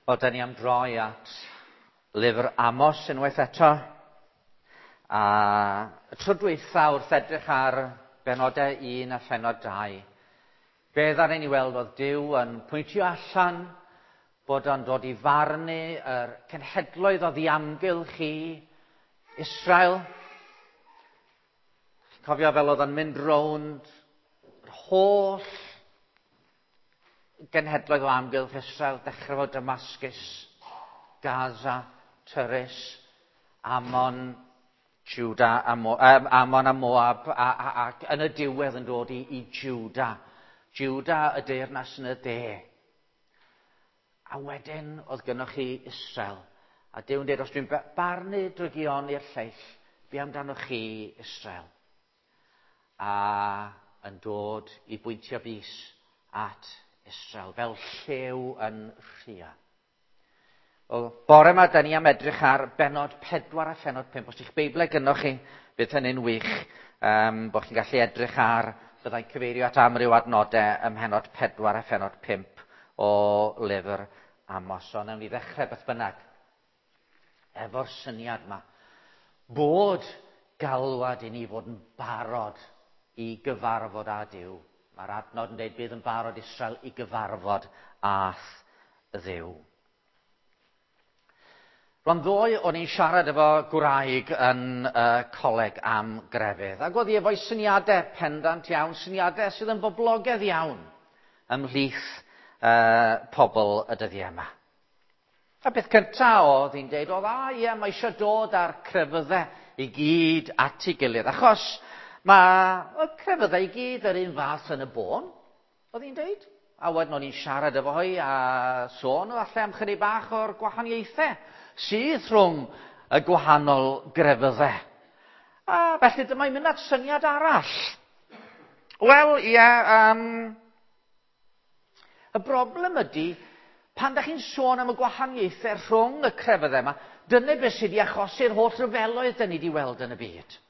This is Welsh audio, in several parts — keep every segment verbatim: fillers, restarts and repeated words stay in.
Wel, da ni am droi at lyfr Amos unwaith eto. A y tro dwytha wrth edrych ar benodau un a phenod dau, be ddaru ni weld oedd Duw yn pwyntio allan bod o'n dod i farnu yr cenhedloedd o ddiamgylch i Israel. Cofio fel oedd o'n mynd rownd yr holl genhedloedd o amgylch Israel, dechrau fo Damascus, Gaza, Tyrus, Ammon, Juda, a Mo, um, Ammon a Moab, a, a, ac yn y diwedd yn dod i, i Juda. Juda y deyrnas yn y de. A wedyn oedd gynnwch chi Israel. A Duw'n dweud, os dwi'n barnu drygion i'r lleill, be amdanoch chi Israel? A yn dod i bwyntio bys at Israel, fel llew yn rhia. Wel, bore yma, da ni am edrych ar benod pedwar a phenod pump. Os ydych Beiblau gynnwch chi, bydd hynny'n wych, um, bod chi'n gallu edrych ar, byddai'n cyfeirio at amryw adnodau ym mhenod pedwar a phenod pump o lyfr Amos. So, nawn ni ddechrau beth bynnag efo'r syniad yma. Bod galwad i ni fod yn barod i gyfarfod â Duw. Mae'r adnod yn dweud bydd yn barod Israel i gyfarfod â'th Dduw. Rwan ddoe o'n i'n siarad efo gwraig yn uh, coleg am grefydd. Ac oedd hi efo'i syniadau pendant iawn, syniadau sydd yn boblogaidd iawn ymhlith uh, pobl y dyddiau yma. A beth cyntaf oedd hi'n deud oedd, a ie, mae eisiau dod â'r crefyddau i gyd at ei gilydd. Achos mae y crefyddau i gyd yr un fath yn y bôn, oedd hi'n deud. A wedyn o'n i'n siarad efo hi a sôn falle am chydig bach o'r gwahaniaethau sydd rhwng y gwahanol grefyddau. A felly dyma i'n mynd at syniad arall. Wel, ie, um, y broblem ydy, pan da chi'n sôn am y gwahaniaethau rhwng y crefyddau yma, dyna beth sydd wedi achosi'r holl ryfeloedd da ni wedi weld yn y byd.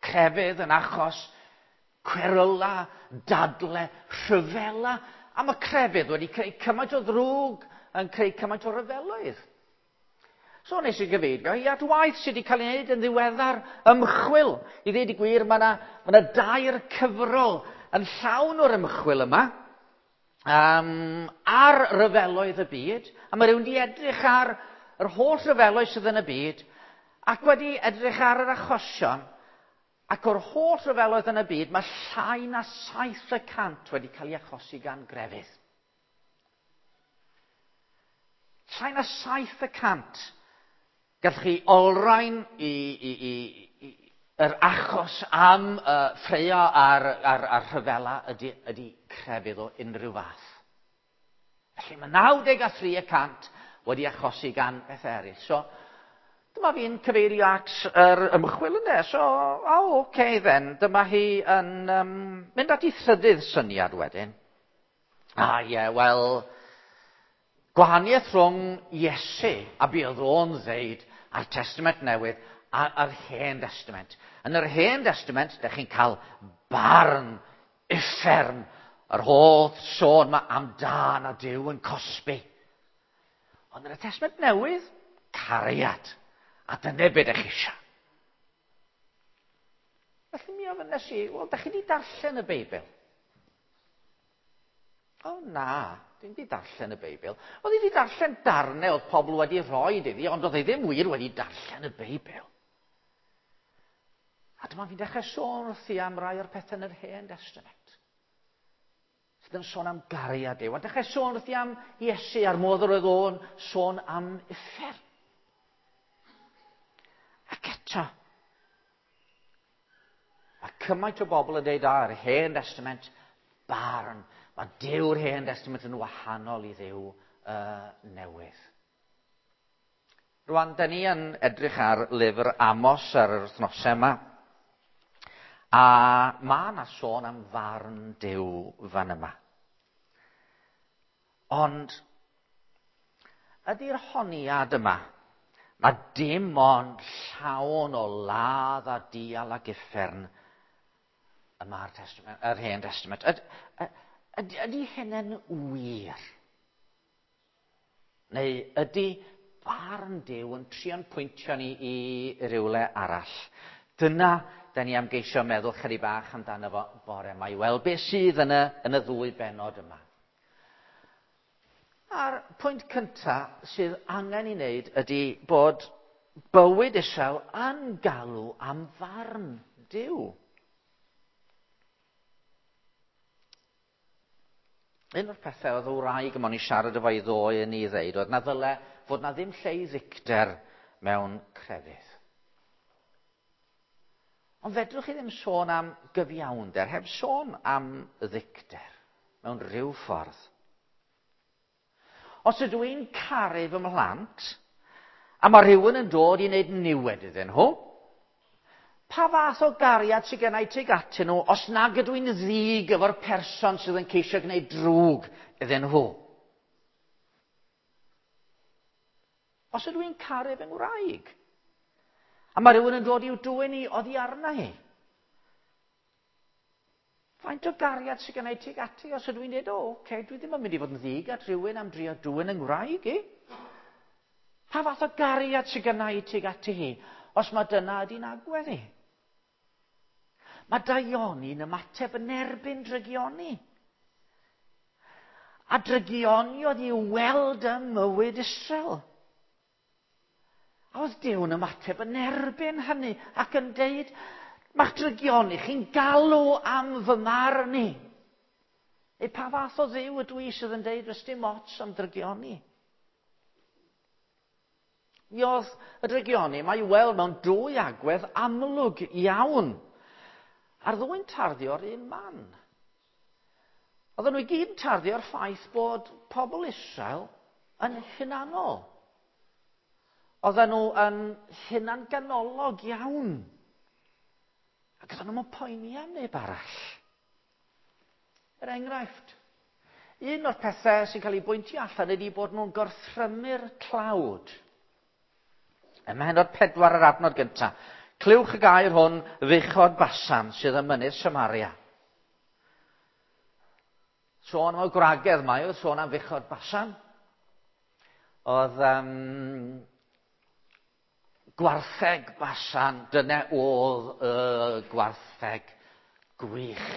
Crefydd yn achos cweryla, dadle, rhyfela, a mae crefydd wedi creu cymaint o ddrwg yn creu cymaint o ryfeloedd. So nes i gyfeirio i at waith sydd wedi cael ei wneud yn ddiweddar ymchwil. I ddweud y gwir, mae yna, ma yna dair cyfrol yn llawn o'r ymchwil yma um, ar ryfeloedd y byd. A mae rhywun wedi edrych ar yr holl ryfeloedd sydd yn y byd ac wedi edrych ar yr achosion. Ac o'r holl ryfeloedd yn y byd, mae llai na saith y cant wedi cael ei achosi gan grefydd. Llai na saith y cant. Gallwch chi olrhain i, i, i, i, yr achos am uh, ffraeo a'r, ar, ar rhyfela ydy, ydy crefydd o unrhyw fath. Felly mae naw deg a thri y cant wedi achosi gan bethau eraill. So, dyma fi'n cyfeirio at yr ymchwil yna. So, oh, okay then, dyma hi yn um, mynd at ei thrydydd syniad wedyn. Ah, ie, yeah, wel, gwahaniaeth rhwng Iesu a be oedd o'n ddeud a'r Testament Newydd a'r Hen Testament. Yn yr Hen Testament, dych chi'n cael barn, uffern, yr holl sôn yma am dân a Duw yn cosbi. Ond yn y Testament Newydd, cariad. A dyna be dych chi eisiau. Felly mi ofynnes i, wel, dych chi wedi darllen y Beibl? O na, dim wedi darllen y Beibl. Oedd hi wedi darllen darnau oedd pobl wedi rhoi iddi, ond oedd hi ddim wir wedi darllen y Beibl. A dyma fi'n dechrau sôn wrthi am rai o'r pethau yn yr Hen Testament. Sydd yn sôn am gariad Duw. A dechrau sôn wrthi am Iesu a'r modd yr oedd o'n sôn am uffern. Ac eto, mae cymaint o bobl yn dweud, ar yr Hen Testament, barn. Mae Duw'r Hen Testament yn wahanol i Dduw uh, newydd. Rwan, da ni yn edrych ar lyfr Amos ar yr wythnosau yma. A mae yna sôn am farn Duw fan yma. Ond, ydy'r honiad yma, mae dim ond llawn o ladd a dial ac uffern y mae'r testament, yr Hen Testament. Ydy, ydy hynny'n wir? Neu ydy barn Duw yn trio'n pwyntio ni i rywle arall? Dyna da ni am geisio meddwl chydig bach amdano fo bore yma, i weld beth sydd yn y, yn y ddwy bennod yma. A'r pwynt cyntaf sydd angen i wneud ydy bod bywyd Israel yn galw am farn Duw. Un o'r pethau oedd y wraig yma o'n i siarad efo i ddoe yn ei ddeud oedd na ddyle fod na ddim lle i ddicter mewn crefydd. Ond fedrwch chi ddim sôn am gyfiawnder, heb sôn am ddicter mewn rhyw ffordd. Os ydw i'n caru fy mhlant, a mae rhywun yn dod i wneud niwed iddyn nhw, pa fath o gariad sydd gennau tuag atyn nhw os nag ydw i'n ddig efo'r person sydd yn ceisio gwneud drwg iddyn nhw? Os ydw i'n caru fy ngwraig, a mae rhywun yn dod i'w dwyn i oddi arna hi, faint o gariad sydd gennau tuag ati os ydw i'n dweud, o, oce, okay, dwi ddim yn mynd i fod yn ddig at rhywun am drio dwyn yng ngwraig i. Pa fath o gariad sydd gennau tuag ati hi os mae dyna ydy'n agwedd i? Mae daioni'n ymateb yn erbyn drygioni. A drygioni oedd i'w weld ym mywyd Israel. A oedd Duw'n ymateb yn erbyn hynny ac yn deud, mae'ch drygioni chi'n galw am fy marn i. Neu pa fath o Dduw ydw i sydd yn deud, does dim ots am drygioni? Mi oedd y drygioni mae i'w weld mewn dwy agwedd amlwg iawn. A'r ddwy'n tarddu o'r un man. Oedden nhw i gyd yn tarddu o'r ffaith bod pobl Israel yn hunanol. Oedden nhw yn hunanganolog iawn. Ac oedden nhw'n poeni am neb arall. Er enghraifft, un o'r pethau sy'n cael ei bwyntio allan ydy bod nhw'n gorthrymu'r tlawd. Ym mhennod pedwar yr adnod gyntaf. Clywch y gair hwn, fuchod Basan sydd ym mynydd Samaria. Sôn am y gwragedd mae, oedd sôn am fuchod Basan. Oedd um, gwartheg Basan, dyna oedd y gwartheg gwych,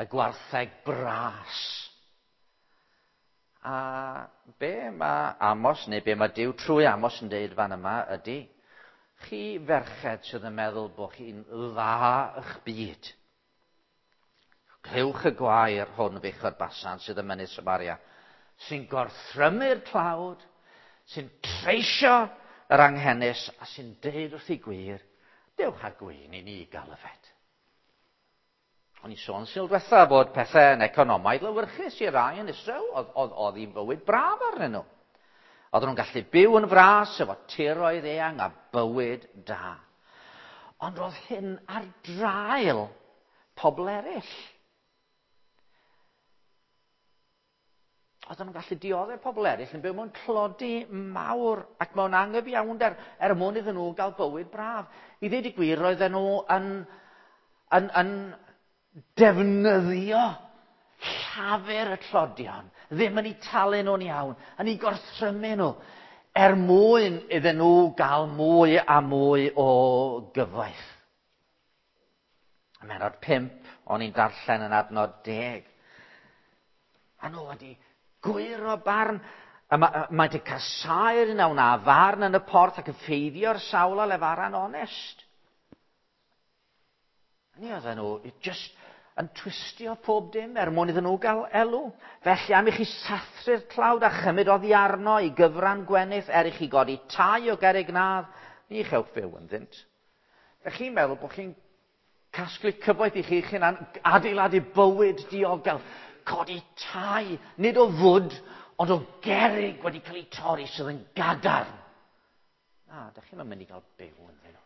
y gwartheg bras. A be mae Amos, neu be mae Duw trwy Amos yn deud fan yma ydy, chi ferched sydd yn meddwl bod chi'n dda eich byd. Clywch y gwair hwn fuchod Basan sydd ym mynydd Samaria, sy'n gorthrymu'r tlawd, sy'n treisio yr anghenus a sy'n deud wrth ei gwir, dewch â gwin i ni gael yfed. O'n i sôn sil diwetha bod pethau yn economaidd lewyrchus i rai yn Israel, oedd, oedd, oedd hi'n fywyd braf arnyn nhw. Oedden nhw'n gallu byw yn fras efo tiroedd eang a bywyd da. Ond oedd hyn ar draul pobl eraill. Oedden nhw'n gallu dioddef pobl eraill yn byw mewn tlodi mawr ac mewn anghyfiawnder er mwyn iddyn nhw gael bywyd braf. I ddweud y gwir, roedden nhw yn, yn, yn defnyddio llafur y tlodion, ddim yn eu talu nhw'n iawn, yn eu gorthrymu nhw, er mwyn iddyn nhw gael mwy a mwy o gyfoeth. Ym mhennod pump, o'n i'n darllen yn adnod deg. A nhw wedi gwyro barn. Mae wedi casáu'r un a wna farn yn y porth ac yn ffeidio'r sawl a lefaran onest. Ni oedden nhw just yn twistio pob dim er mwyn iddyn nhw gael elw. Felly am i chi sathru'r tlawd a chymryd oddi arno i gyfran gwenith er i chi godi tai o gerrig nadd, ni chewch fyw ynddynt. Felly chi'n meddwl bod chi'n casglu cyfoeth i chi'ch hunan, adeiladu bywyd diogel, codi tai, nid o fwd, ond o gerrig wedi cael eu torri sydd yn gadarn. Na, da chi'n mynd i gael byw ynddyn nhw.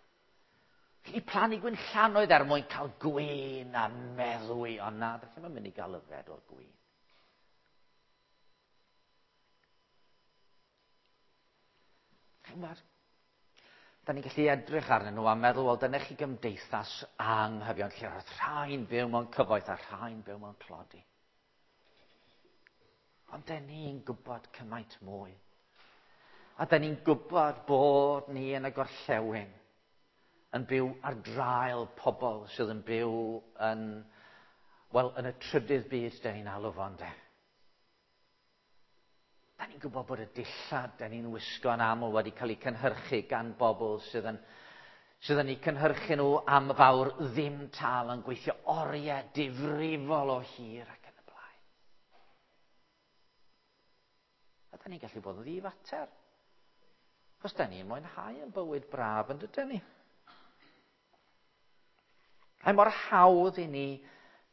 Chi wedi plannu gwinllannoedd er mwyn cael gwin a meddwi, ond na, da chi'n mynd i gael yfed o'r gwin. Chi'n gwybod? Da ni'n gallu edrych arnyn nhw a meddwl, wel, dyna chi gymdeithas anghyfiawn, lle roedd rhai'n byw mewn cyfoeth a rhai'n byw mewn tlodi. Ond da ni'n gwybod cymaint mwy. A da ni'n gwybod bod ni yn y gorllewin yn byw ar draul pobl sydd yn byw yn, wel, yn y trydydd byd da ni'n alw fo, ynde. Da ni'n gwybod bod y dillad da ni'n wisgo yn aml wedi cael eu cynhyrchu gan bobl sydd yn, sydd yn eu cynhyrchu nhw am fawr ddim tâl, yn gweithio oriau difrifol o hir ac yn y blaen. A da ni'n gallu bod yn ddifater. Chos da ni'n mwynhau yn bywyd braf yn dydyn ni. Mae mor hawdd i ni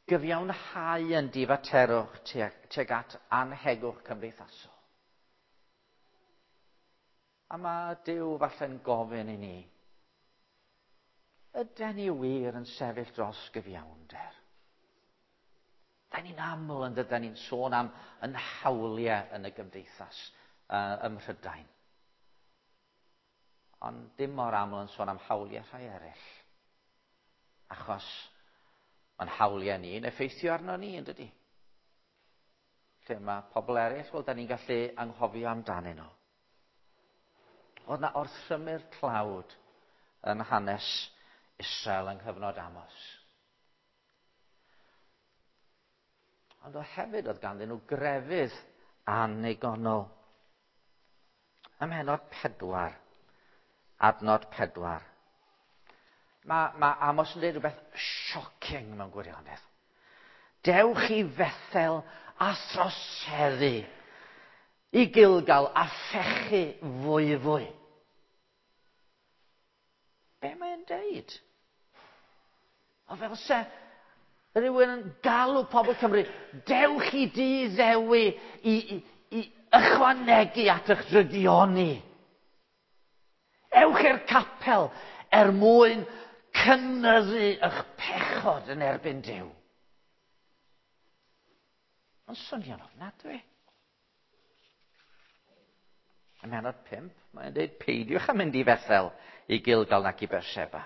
gyfiawnhau yn difaterwch tuag, tuag at anhegwch cymdeithasol. A mae Duw falle'n gofyn i ni, yden ni wir yn sefyll dros gyfiawnder? Da ni'n aml yn dydyn ni'n sôn am yn hawliau yn y gymdeithas uh, ym Mhrydain. Ond dim mor aml yn sôn am hawliau rhai eraill. Achos mae'n hawliau ni'n effeithio arno ni, yn dydy? Lle mae pobl eraill, wel, da ni'n gallu anghofio amdanyn nhw. Oedd na orthrymu'r tlawd yn hanes Israel yng nghyfnod Amos. Ond o hefyd oedd ganddyn nhw grefydd annigonol. Ym mhennod pedwar, adnod pedwar. Mae, mae Amos yn dweud rhywbeth shocking mewn gwirionedd. Dewch i Fethel a throseddu, i Gilgal a phechu fwy fwy. Be mae'n deud? O fel se rhywun yn galw pobl Cymru, dewch i dŷ Ddewi i, i, i ychwanegu at eich drygioni. Ewch i'r capel er mwyn cynyddu eich pechod yn erbyn Duw. Mae'n swnio'n ofnadwy. Ym mhennod pump, mae'n dweud peidiwch â mynd i Fethel, i Gilgal nac i Beersheba.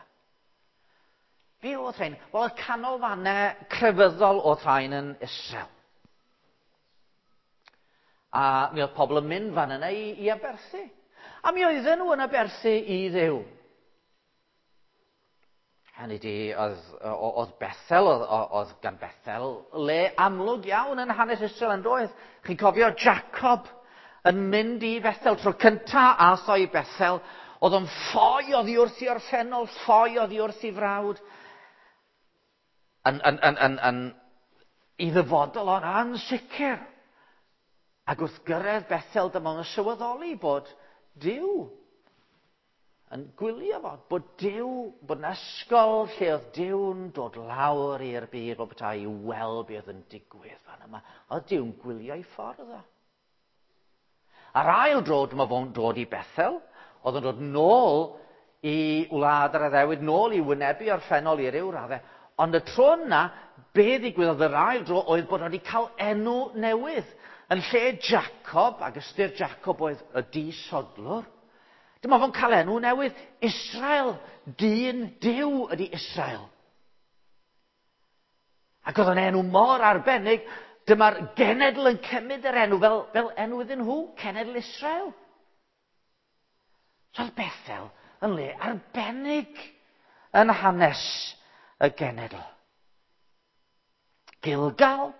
Be oedd rhain? Wel, y canolfannau crefyddol oedd rhain yn Israel. A mi oedd pobl yn mynd fan yna i, i aberthu. A mi oedden nhw yn aberthu i Dduw. Hynny di, oedd, oedd Bethel, oedd, oedd gan Bethel le amlwg iawn yn hanes Israel yn doedd. Chi'n cofio Jacob yn mynd i Bethel, tro cynta ath o i Bethel, oedd o'n ffoi oddi wrth i orffennol, ffoi oddi wrth i frawd. Yn, yn, yn, yn, yn, i ddyfodol o'n ansicr. Ac wrth gyrraedd Bethel, dyma o'n sylweddoli bod Duw yn gwylio fo, bod Duw, bod yn ysgol lle oedd Duw'n dod lawr i'r byd, bod petai i weld beth oedd yn digwydd fan yma. Oedd Duw'n gwylio i ffordd o. A'r ail dro dyma fo'n dod i Bethel, oedd yn dod nôl i wlad yr addewid, nôl i wynebu orffennol i ryw raddau. Ond y tro yna, be ddigwyddodd yr ail dro oedd bod wedi cael enw newydd. Yn lle Jacob, ac ystyr Jacob oedd y disodlwr, dyma fo'n cael enw newydd, Israel, dyn Duw ydy Israel. Ac oedd o'n enw mor arbennig, dyma'r genedl yn cymryd yr enw fel, fel enw iddyn nhw, cenedl Israel. So oedd Bethel yn le arbennig yn hanes y genedl. Gilgal,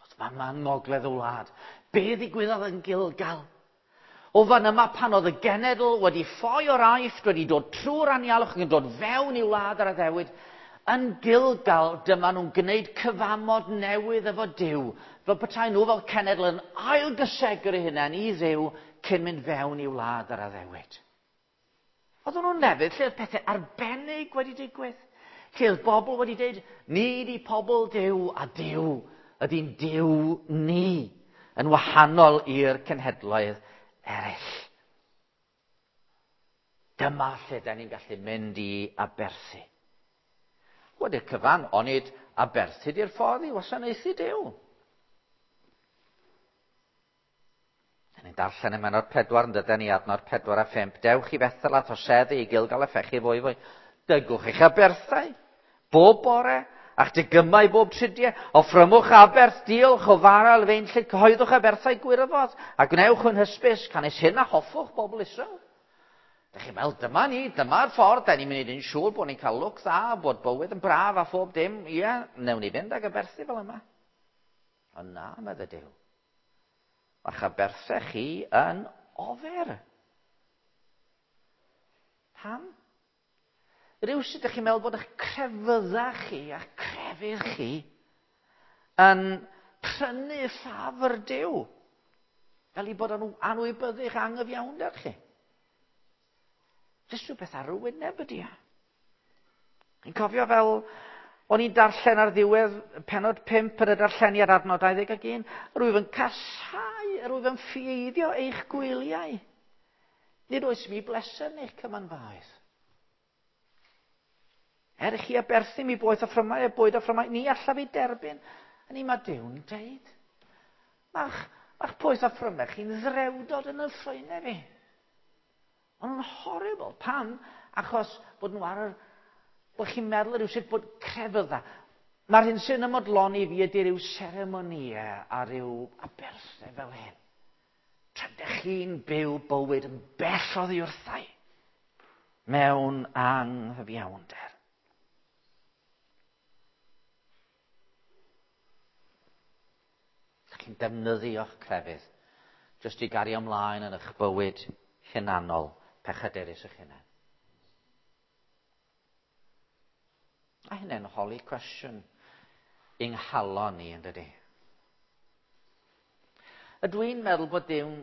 oedd fan ngogledd y wlad. Be ddigwyddodd yn Gilgal? O fan yma pan oedd y genedl wedi ffoi o'r Aifft, wedi dod trwy'r anialwch ac yn dod fewn i wlad yr addewid, yn Gilgal dyma nhw'n gwneud cyfamod newydd efo Duw, fel petai nhw fel cenedl yn ailgysegru eu hunain i Dduw cyn mynd fewn i wlad yr addewid. Oedden nhw'n lefydd lle oedd pethau arbennig wedi digwydd, lle oedd bobl wedi dweud, ni di pobl Duw a Duw ydy'n Duw ni, yn wahanol i'r cenhedloedd eraill. Dyma lle da ni'n gallu mynd i aberthu. Wedi'r cyfan, onid aberthu di'r ffordd i wasanaethu Duw. Da ni'n darllen ym mhennod pedwar, yn dydyn ni adnod pedwar a phump. Dewch i Fethel a throseddu i Gilgal a phechu fwy fwy. Dygwch eich aberthau, bob bore, a'ch degymau bob tridiau. Offrymwch aberth diolch o fara lefeinllyd, cyhoeddwch aberthau gwirfodd, a gwnewch yn hysbys, canys hyn a hoffwch bobl Israel. Dych chi'n meddwl, dyma ni, dyma'r ffordd, da ni'n mynd i'n siŵr bod ni'n cael lwc dda, bod bywyd yn braf a phob dim. Ie, newn ni fynd ag aberthu fel yma. Ond na, medde Duw. Mae'ch aberthau chi yn ofer. Pam? Rhywsut ydych chi'n meddwl bod eich crefydda chi a'ch crefydd chi yn prynu ffafr Duw, fel i bod yn anwybyddu'ch anghyfiawnder chi. Jyst rhywbeth ar y wyneb ydy e. Chi'n cofio fel o'n i'n darllen ar ddiwedd pennod pump yn y darlleniad adnod dau ddeg ac un, rwyf yn casáu, rwyf yn ffieiddio eich gwyliau. Nid oes mi bleser yn eich cymanfaoedd. Er i chi aberthu mi boeth a ffrymau a bwyd a ffrymau, ni allaf ei derbyn. A ni mae Duw'n deud, mae'ch mae poeth a ffrymau chi'n ddrewdod yn y ffroenau fi. Ond nhw'n horrible. Pam? Achos bod nhw ar yr... bod chi'n meddwl rhywsut bod crefydda. Mae'r hyn sy'n ymodloni fi ydy rhyw seremonïau a rhyw aberthau fel hyn. Tra dych chi'n byw bywyd yn bell oddi wrthau mewn anghyfiawnder. Dych chi'n defnyddio'ch crefydd jyst i gario ymlaen yn eich bywyd hunanol, pechadurus eich hunain. A hynny'n holi cwestiwn yng nghalon ni, yn dydi? Ydw i'n meddwl bod Duw'n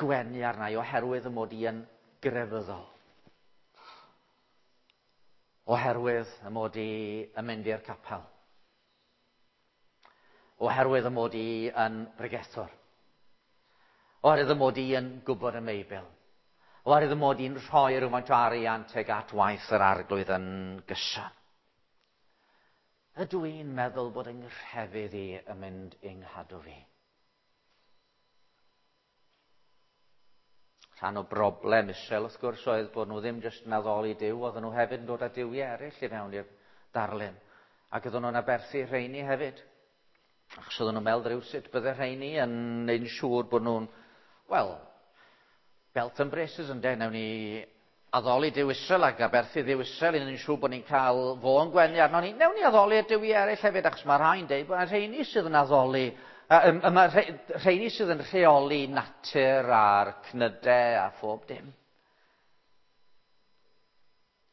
gwenu arna i oherwydd y mod i yn grefyddol? Oherwydd y mod i yn mynd i'r capel? Oherwydd y mod i yn bregethwr? Oherwydd y mod i yn gwybod y Beibl? Oherwydd y mod i'n rhoi rhywfaint o arian tuag at waith yr Arglwydd yn gyson? Ydw i'n meddwl bod yng nghrefydd i yn mynd yng nghadw fi? Rhan o broblem Israel, wrth gwrs, oedd bod nhw ddim jyst yn addoli Duw, oedden nhw hefyd yn dod â duwiau eraill i fewn i'r darlun. Ac oedden nhw'n aberthu rheini hefyd. Achos oedden nhw'n meddwl rhywsut bydde rheini yn neud yn siŵr bod nhw'n, wel, belt and braces ynde, newn ni addoli Duw Israel ac aberthu Dduw Israel i wneud yn siŵr bod ni'n cael fo yn gwenu arno ni. Newn ni addoli y duwiau eraill hefyd, achos mae rhai'n deud bod rheini sydd yn addoli, mae rheini sydd yn rheoli natur a'r cnydau a phob dim.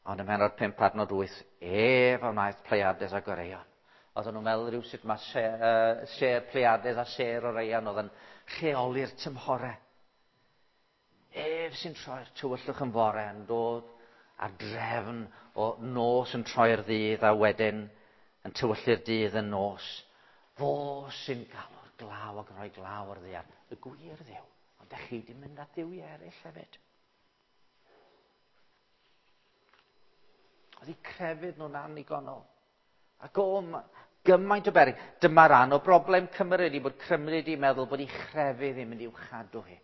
Ond ym mhennod pump adnod wyth, ef a wnaeth Pleiades ac Orion. Oedden nhw'n meddwl rhywsut mae sêr, uh, sêr Pleiades a sêr Orion oedd yn rheoli'r tymhorau. Ef sy'n troi'r tywyllwch yn fore yn dod ar drefn o nos yn troi'r ddydd a wedyn yn tywyllu'r dydd yn nos. Fo sy'n galw'r glaw ac yn rhoi glaw ar ddaear. Y gwir Dduw. Ond dych chi wedi mynd at dduwiau eraill hefyd. Oedd eu crefydd nhw'n annigonol. Ac o, gymaint o beryg. Dyma ran o broblem Cymru ydi bod Cymru wedi meddwl bod ei chrefydd yn mynd i'w chadw hi.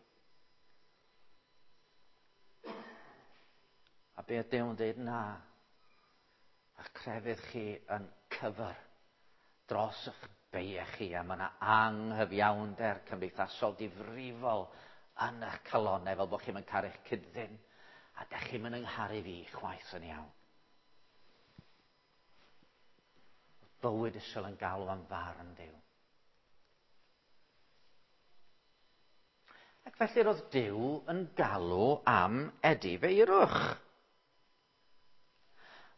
A be oedd Duw'n dweud? Na. A'ch crefydd chi yn cyfer dros eich beiau chi, a mae yna anghyfiawnder cymdeithasol difrifol yn eich calonnau, fel bod chi'n caru'ch cyd-ddyn, a dych chi'n mynd yngharu fi chwaith yn iawn. Bywyd Israel yn galw am farn Duw. Ac felly roedd Duw yn galw am edifeirwch.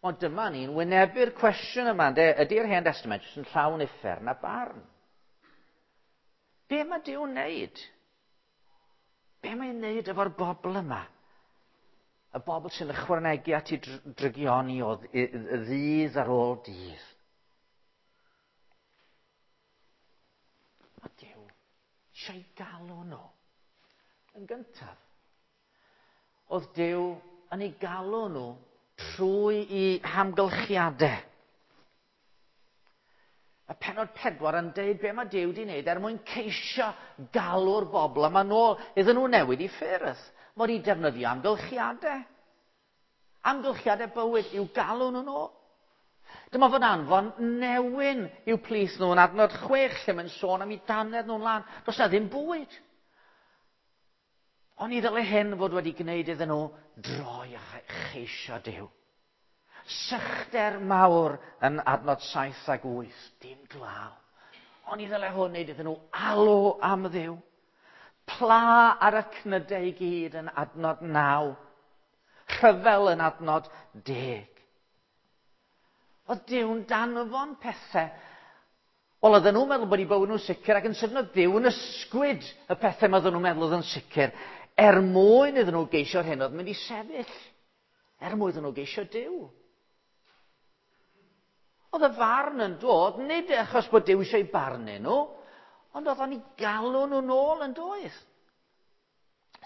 Ond dyma ni'n wynebu'r cwestiwn yma, ynde? Ydy'r Hen Testament jyst yn llawn uffern a barn? Be mae Duw'n wneud? Be mae'n wneud efo'r bobl yma? Y bobl sy'n ychwanegu at ei drygioni o ddydd ar ôl dydd. Mae Duw eisiau galw nhw. Yn gyntaf, oedd Duw yn ei galw nhw trwy i hamgylchiadau. Mae pennod pedwar yn deud be mae Duw wedi wneud er mwyn ceisio galw'r bobl yma nôl iddyn nhw newid i ffyrdd. Mae wedi defnyddio amgylchiadau. Amgylchiadau bywyd i'w galw nhw nôl. Dyma fo'n anfon newyn i'w plith nhw yn adnod chwech lle mae'n sôn am eu dannedd nhw'n lân. Does na ddim bwyd. Ond i ddyle hyn fod wedi gwneud iddyn nhw droi a cheisio Duw. Sychder mawr yn adnod saith ag wyth, dim glaw. Ond i ddyle hwn wneud iddyn nhw alw am Dduw. Pla ar y cnydau i gyd yn adnod naw. Rhyfel yn adnod deg. Oedd Duw'n danfon pethau. Wel, oedden nhw'n meddwl bod eu bywyd nhw'n sicr ac yn sydyn oedd Duw yn ysgwyd y pethau mae oedden nhw'n meddwl oedd yn sicr er mwyn iddyn nhw geisio'r hyn oedd mynd i sefyll. Er mwyn iddyn nhw geisio Duw. Oedd y farn yn dod, nid achos bod Duw eisiau barnu nhw, ond oedd o'n i galw nhw nôl yn doedd.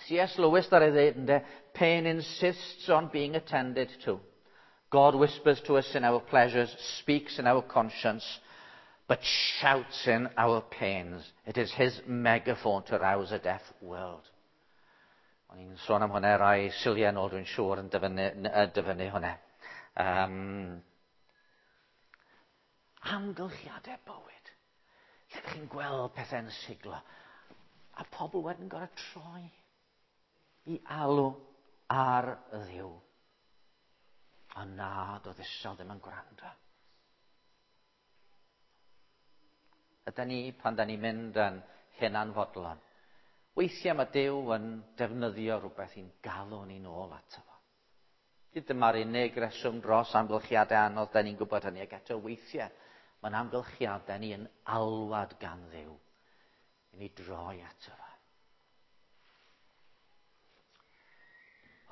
C S Lewis dar ei ddeud ynde, pain insists on being attended to. God whispers to us in our pleasures, speaks in our conscience, but shouts in our pains. It is his megaphone to rouse a deaf world. O'n i'n sôn am hwnna rai siliau nôl, dwi'n siŵr yn dyfynnu, dyfynnu hwnna. Um, amgylchiadau bywyd. Lle ydych chi'n gweld pethau'n siglo. A pobl wedyn gorau troi i alw ar Dduw. Ond na, doedd Israel ddim yn gwrando. Ydy ni, pan da ni'n mynd yn hunanfodlon, weithiau mae Duw yn defnyddio rhywbeth i'n galw ni'n ôl ato fo. Nid dyma'r unig reswm dros amgylchiadau anodd, da ni'n gwybod hynny, ac eto weithiau mae'n amgylchiadau ni yn alwad gan Dduw i ni droi ato fo.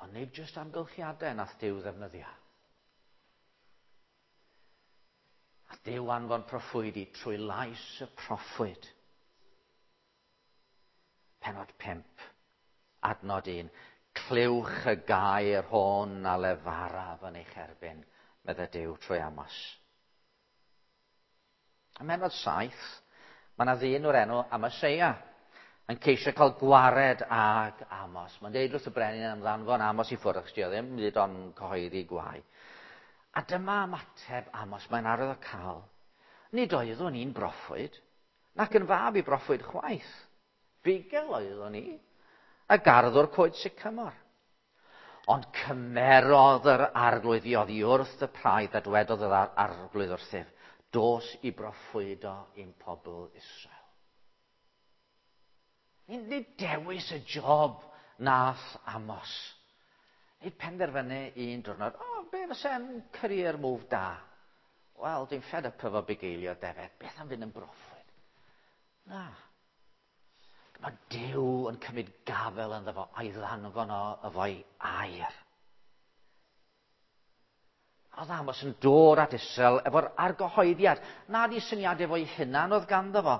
Ond nid jyst amgylchiadau nath Duw ddefnyddio. A Duw anfon proffwydi trwy lais y proffwyd. Penod pump, adnod un. Clywch y gair hwn a lefaraf yn eich erbyn, meddai Duw trwy Amos. Ym mhennod saith, mae yna ddyn o'r enw Amaseia yn ceisio cael gwared ag Amos. Mae'n deud wrth y brenin am ddanfon Amos i ffwrdd, achos dio ddim hyd ond cyhoeddi gwae. A dyma ymateb Amos, mae'n arwydd o cael. Nid oeddwn i'n broffwyd, nac yn fab i broffwyd chwaith. Bugel oeddwn i, a garddwr coed sycamor. Ond cymerodd yr arglwydd i oddi wrth y praidd a dwedodd yr arglwydd wrthyf, dos i broffwydo i'n pobl Israel. Nid dewis y job nath Amos. Nid penderfynu un diwrnod, o, oh, be fysa'n career move da? Wel, dwi'n fed up efo bugeilio defed, beth am fynd yn broffwyd? Na. Mae Duw yn cymryd gafel ynddo fo a'i ddanfon o efo'i air. Oedd Amos yn dod at Israel efo'r argyhoeddiad. Nad i syniadau fo'i hunan oedd ganddo fo,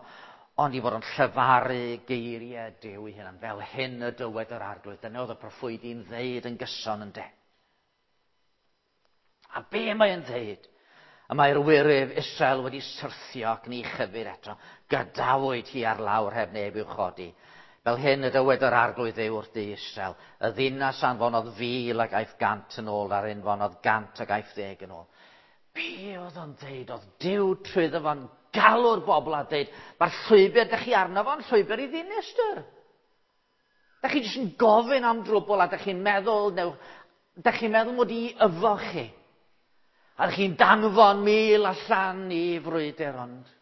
ond i fod yn llefaru geiriau Duw ei hunan. Fel hyn y dywed yr arglwydd. Dyna oedd y proffwydi'n ddeud yn gyson yn de. A be mae'n ddeud? Y mae'r wyryf Israel wedi syrthio ac ni chyfyd eto. Gadawyd hi ar lawr heb neb i'w chodi. Fel hyn y dywed yr arglwydd Dduw wrth dŷ Israel. Y ddinas anfonodd fil ac aeth gant yn ôl, a'r anfonodd gant ac aeth ddeg yn ôl. Be oedd o'n dweud? Oedd Duw trwyddo fo'n galw'r bobl a dweud, mae'r llwybr dych chi arno fo'n llwybr i ddinistr. Dych chi jyst yn gofyn am drwbl a dych chi'n meddwl, new, dych chi'n meddwl mod i yfo chi. A dych chi'n danfon mil allan i frwydr, ond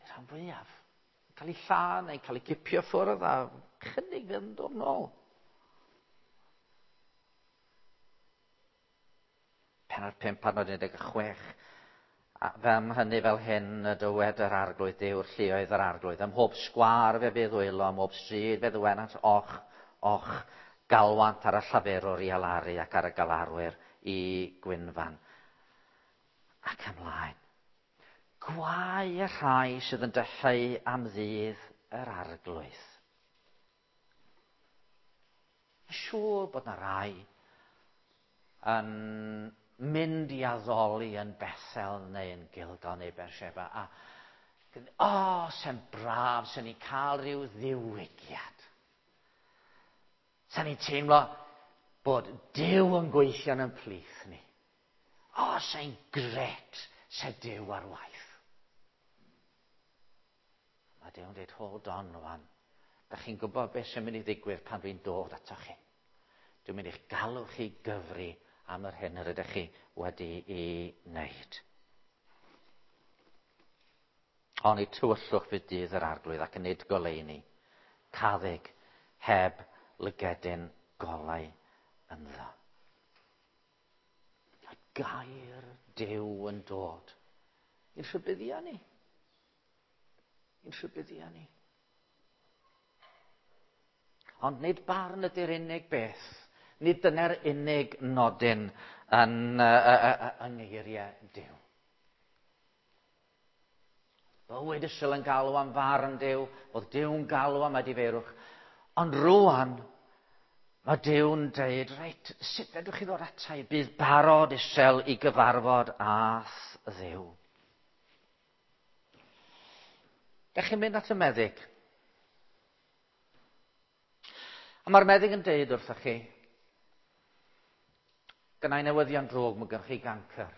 rhan fwyaf cael ei lladd neu cael ei cipio ffwrdd a chydig fydd yn dod nôl. Pennod pump, adnod un deg chwech. A fem hynny fel hyn y dywed yr arglwydd Duw'r lluoedd yr arglwydd. Ym mhob sgwâr fe fydd wylo, ym mhob stryd fe ddywenant och, och, galwant ar y llafurwr i alaru ac ar y galarwyr i gwynfan. Ac ymlaen. Gwae y rhai sydd yn dyheu am ddydd yr arglwydd. Mae'n siŵr bod na rai yn mynd i addoli yn Bethel neu yn Gilgal neu Beersheba a o, oh, se'n braf, se'n ni cael rhyw ddiwygiad. Se'n ni'n teimlo bod Duw yn gweithio yn plith ni. O, sy'n gret se Duw ar waith. Mae Duw'n dweud, hold on rwan. Da chi'n gwybod beth sy'n mynd i ddigwydd pan dwi'n dod atoch chi. Dwi'n mynd i'ch galw chi gyfri am yr hyn yr ydych chi wedi'i wneud. Oni tywyllwch fydd dydd yr arglwydd ac nid goleuni. Caddug heb lygedyn golau ynddo. A gair Duw yn dod i'n rhybuddio ni. I'n rhybuddio ni. Ond nid barn ydy'r unig beth. Nid dyna'r unig nodyn yn, uh, yng ngeiriau Duw. Bywyd Israel yn galw am farn Duw, oedd Duw'n galw am edifeirwch. Ond rwan, mae Duw'n dweud, reit, sut fedrwch chi ddod ata i? Bydd barod Israel i gyfarfod â Dduw. Dach chi'n mynd at y meddyg. A mae'r meddyg yn deud wrthych chi, gynna i newyddion drwg, mae gennych chi gancr.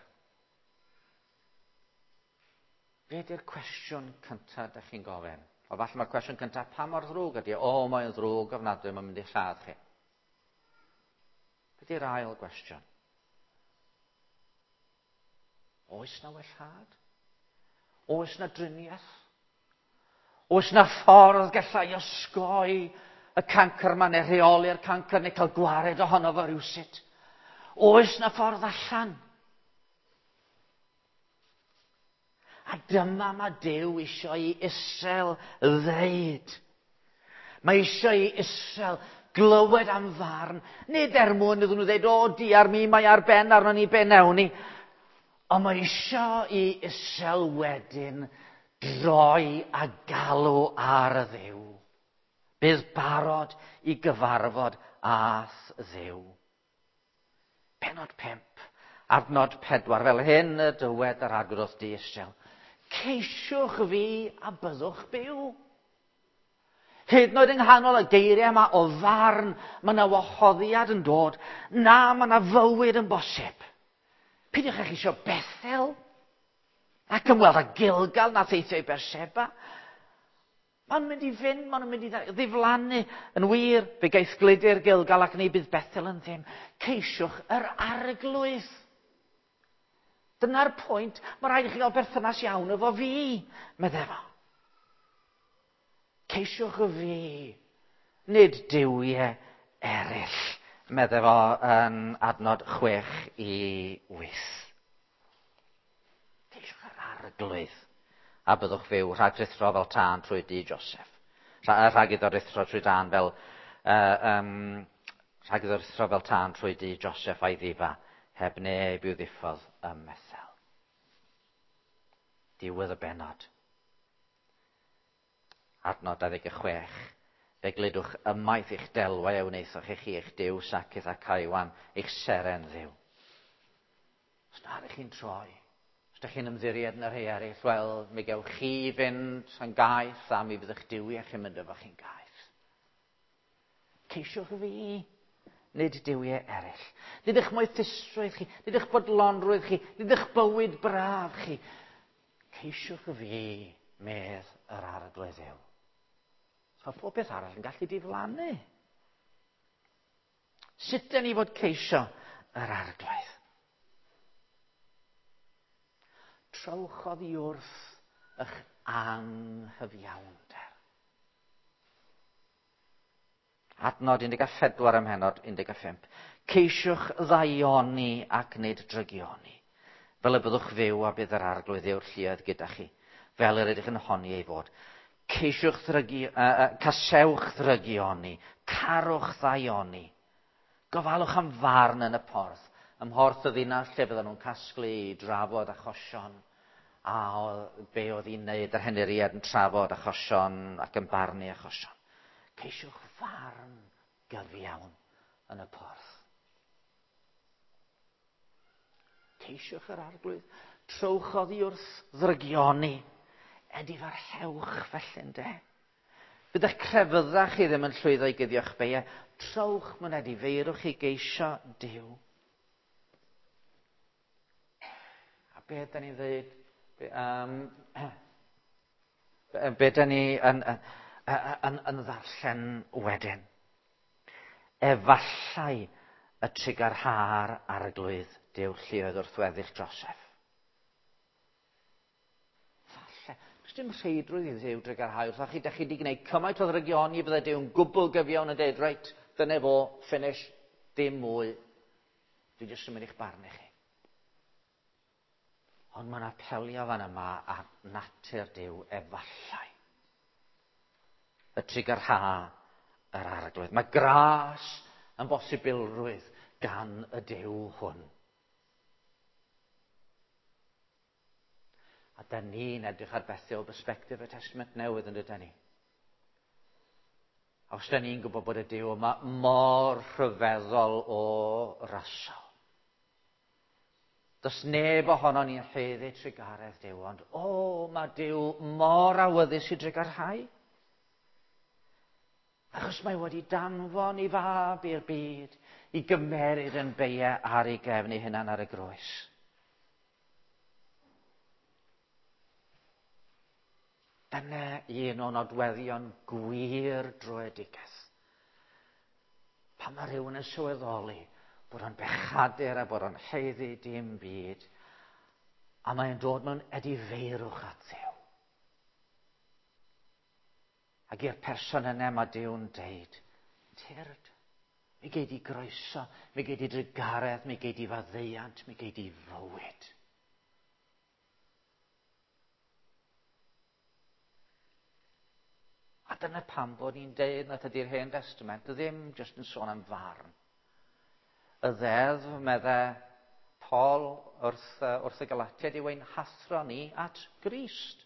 Be ydy'r cwestiwn cyntaf ydych chi'n gofyn? O, falle mae'r cwestiwn cyntaf, pa mor ddrwg ydy? O, mae'n ddrwg ofnadwy, mae'n mynd i lladd chi. Be ydy'r ail gwestiwn? Oes na wellhad? Oes na driniaeth? Oes na ffordd gallai osgoi y cancr yma, neu rheoli'r cancr, neu cael gwared ohono fo rywsut? Oes na ffordd allan? A dyma mae Duw eisiau i Israel ddeud. Mae eisiau i Israel glywed am farn, nid er mwyn iddyn nhw ddeud, o, diar mi, mae ar ben arno ni, be newn ni. Ond mae eisiau i Israel wedyn droi a galw ar y Dduw. Bydd barod i gyfarfod â Dduw. Pennod pump, adnod pedwar, fel hyn y dywed yr arglwydd wrth di Israel. Ceisiwch fi a byddwch byw. Hyd yn oed yng nghanol y geiriau yma o farn, mae yna wahoddiad yn dod. Na, mae yna fywyd yn bosib. Peidiwch â cheisio Bethel ac ymweld â Gilgal na theithio i Berseba. Maen nhw'n mynd i fynd, maen nhw'n mynd i ddiflannu. Yn wir, fe gaeth gludir Gilgal ac ni bydd Bethel yn ddim. Ceisiwch yr arglwydd. Dyna'r pwynt, mae rhaid i chi gael berthynas iawn efo fi, meddai fo. Ceisiwch y fi, nid duwiau eraill, meddai fo yn adnod chwech i wyth. Ceisiwch yr arglwydd, a byddwch fyw rhag rhuthro fel tân trwy dŷ Joseph. Rhag iddo ruthro trwy dân fel, uh, um, rhag iddo ruthro fel tân trwy dŷ Joseph a'i ddifa, heb neb i'w ddiffodd ym Methel. Diwedd y bennod. Adnod dau ddeg chwech. Fe gludwch ymaith eich delwau a wnaethoch i chi eich Duw Sacyth ac Caiwan, eich seren ddiw. Os na ydych chi'n troi, os ydych chi'n ymddiried yn y rhai eraill, wel, mi gewch chi fynd yn gaeth a mi fydd eich duwiau chi'n mynd efo chi'n gaeth. Ceisiwch fi, nid duwiau eraill. Nid eich moethusrwydd chi, nid eich bodlonrwydd chi, nid eich bywyd braf chi. Ceisiwch fi, medd yr arglwydd Dduw. So mae pob beth arall yn gallu diflannu. Sut dyn ni fod ceisio yr arglwydd? Trowch oddi wrth eich anghyfiawnder. Adnod un deg pedwar ym mhennod un deg pump. Ceisiwch ddaioni ac nid drygioni, fel y byddwch fyw a bydd yr arglwydd yw'r lluoedd gyda chi, fel yr ydych yn honni ei fod. Ceisiwch ddrygi, uh, casewch ddrygioni, carwch ddaioni. Gofalwch am farn yn y porth, ym mhorth y ddinas lle fydden nhw'n casglu i drafod achosion, a be oedd hi'n wneud yr henuriad yn trafod achosion ac yn barnu achosion. Ceisiwch farn gyfiawn yn y porth. Ceisiwch yr arglwydd, trowch oddi wrth ddrygioni, edifarhewch felly ynde. Bydd eich crefyddau chi ddim yn llwyddo i guddio'ch beiau, trowch mewn edifeirwch i geisio Duw. A be da ni'n dweud? Be, um, be da ni yn, yn, yn, yn ddarllen wedyn? Efallai y trugarha'r Arglwydd Duw lluoedd wrth weddill Joseph. Falle. Does dim rheidrwydd i Dduw drugarhau wrthoch chi. Dach chi wedi gwneud cymaint o ddrygioni, bydde Duw'n gwbl gyfiawn yn dweud, reit, dyna fo, finish, dim mwy. Dwi jyst yn mynd i'ch barnu chi. Ond mae'n apelio fan yma at natur Duw efallai. Y trugarha yr Arglwydd. Mae gras yn bosibilrwydd gan y Duw hwn. A da ni'n edrych ar bethau o bersbectif y Testament Newydd yn dydyn ni. A os da ni'n gwybod bod y Duw yma mor rhyfeddol o rasol. Does neb ohono ni'n haeddu trugaredd Duw, ond o, mae Duw mor awyddus i drugarhau. Achos mae wedi danfon ei fab i'r byd i gymeryd yn beiau ar ei gefn ei hunan ar y groes. Dyna un o nodweddion gwir dröedigaeth. Pan mae rhywun yn sylweddoli bod o'n bechadur a bod o'n haeddu dim byd, a mae'n dod mewn edifeirwch at Dduw. Ac i'r person yna mae Duw'n deud, tyrd, mi gei di groeso, mi gei di drugaredd, mi gei di faddeuant, mi gei di fywyd. A dyna pam bod ni'n deud nad ydy'r Hen Testament ddim jyst yn sôn am farn. Y ddeddf, medde Paul wrth, wrth y Galatiaid, yw ein hathro ni at Grist.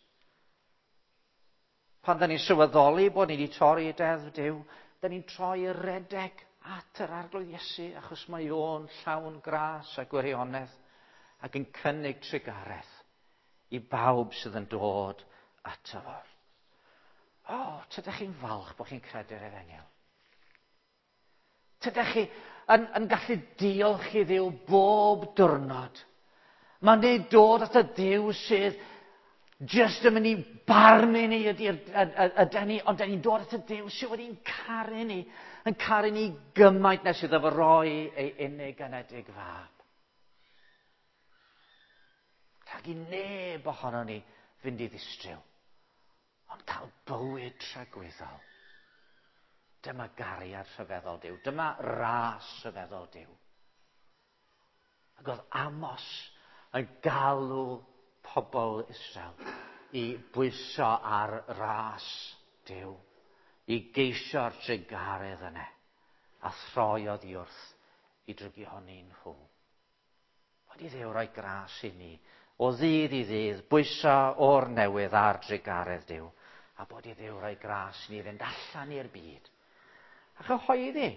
Pan da ni'n sylweddoli bod ni wedi torri deddf Duw, da ni'n troi y redeg at yr Arglwydd Iesu, achos mae o'n llawn gras a gwirionedd ac yn cynnig trugaredd i bawb sydd yn dod ato fo. O, oh, tydych chi'n falch bod chi'n credu'r efengyl? Tydych chi yn, yn gallu diolch i Dduw bob diwrnod? Mae'n neud dod at y Duw sydd jyst yn mynd i barnu ni ydy'r ydy ni, ond da ni'n dod at y Duw sydd wedi'n caru ni, yn caru ni gymaint nes iddo fo roi ei unig anedig fab. Rhag i neb ohono ni fynd i ddistryw, ond cael bywyd tragwyddol. Dyma gariad rhyfeddol Duw. Dyma ras rhyfeddol Duw. Ac oedd Amos yn galw pobl Israel i bwyso ar ras Duw, i geisio'r trugaredd yna, a throi oddi wrth i drygioni nhw. Wedi Dduw roi gras i ni, o ddydd i ddydd, bwyso o'r newydd ar drugaredd Duw, a bod i Dduw roi gras i ni fynd allan i'r byd a chyhoeddi.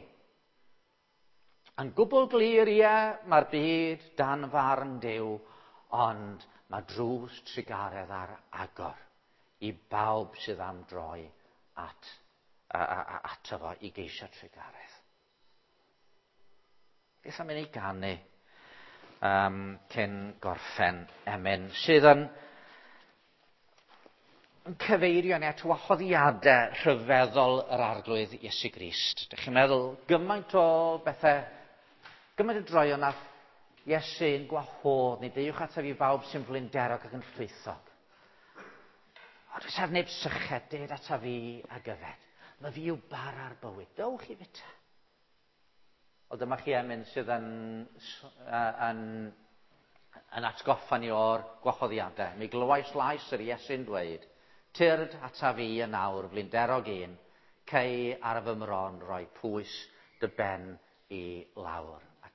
Yn gwbl glir, ie, mae'r byd dan farn Duw, ond mae drws trugaredd ar agor i bawb sydd am droi at, a, a, ato fo i geisio trugaredd. Beth am i ni ganu um, cyn gorffen emyn sydd yn, yn cyfeirio ni at wahoddiadau rhyfeddol yr Arglwydd Iesu Grist. Dych chi'n meddwl gymaint o bethau, gymaint o droion nath Iesu'n gwahodd ni, deuwch ataf i bawb sy'n flinderog ac yn llwythog. Ond oes ar neb syched, ded ataf fi ag yfed. Mae fi yw bara'r bywyd, dewch i fita. Ond dyma chi emyn sydd yn, yn, yn atgoffa ni o'r gwahoddiadau. Mi glywais lais yr Iesu'n dweud, tyrd ataf fi yn awr, flinderog un, cei ar fy mron roi pwys dy ben i lawr.